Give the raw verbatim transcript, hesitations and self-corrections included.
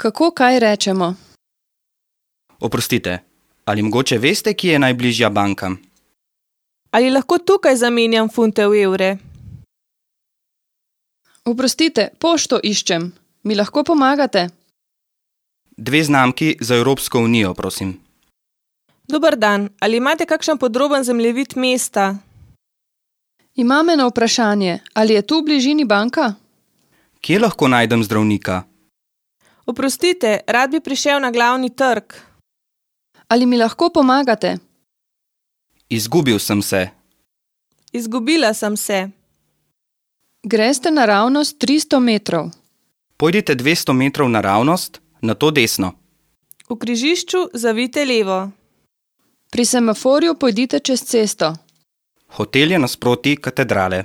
Kako kaj rečemo? Oprostite, ali mogoče veste, kje je najbližja banka? Ali lahko tukaj zamenjam funte v evre? Oprostite, pošto iščem. Mi lahko pomagate? Dve znamki za Evropsko unijo, prosim. Dober dan, ali imate kakšen podroben zemljevid mesta? Imam eno vprašanje. Ali je tu v bližini banka? Kje lahko najdem zdravnika? Oprostite, rad bi prišel na glavni trg. Ali mi lahko pomagate? Izgubil sem se. Izgubila sem se. Greste naravnost tristo metrov. Pojdite dvesto metrov naravnost, nato desno. V križišču zavijte levo. Pri semaforju pojdite čez cesto. Hotel je nasproti katedrale.